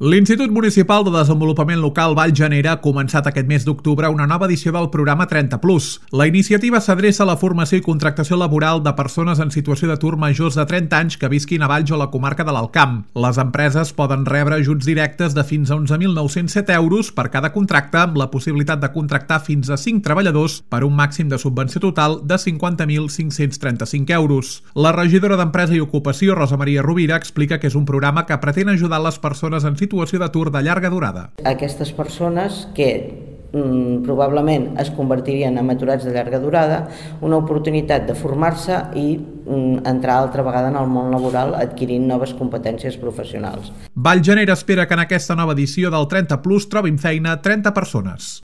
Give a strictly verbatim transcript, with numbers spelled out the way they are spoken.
L'Institut Municipal de Desenvolupament Local Valljanera ha començat aquest mes d'octubre una nova edició del programa trenta plus. La iniciativa s'adreça a la formació i contractació laboral de persones en situació d'atur majors de trenta anys que visquin a Valls o a la comarca de l'Alt Camp. Les empreses poden rebre ajuts directes de fins a onze mil nou-cents set euros per cada contracte, amb la possibilitat de contractar fins a cinc treballadors per un màxim de subvenció total de cinquanta mil cinc-cents trenta-cinc euros. La regidora d'Empresa i Ocupació, Rosa Maria Rovira, explica que és un programa que pretén ajudar les persones en situació situació d'atur de llarga durada. Aquestes persones que mm, probablement es convertirien en aturats de llarga durada, una oportunitat de formar-se i mm, entrar altra vegada en el món laboral adquirint noves competències professionals. Valljanera espera que en aquesta nova edició del trenta plus trobin feina trenta persones.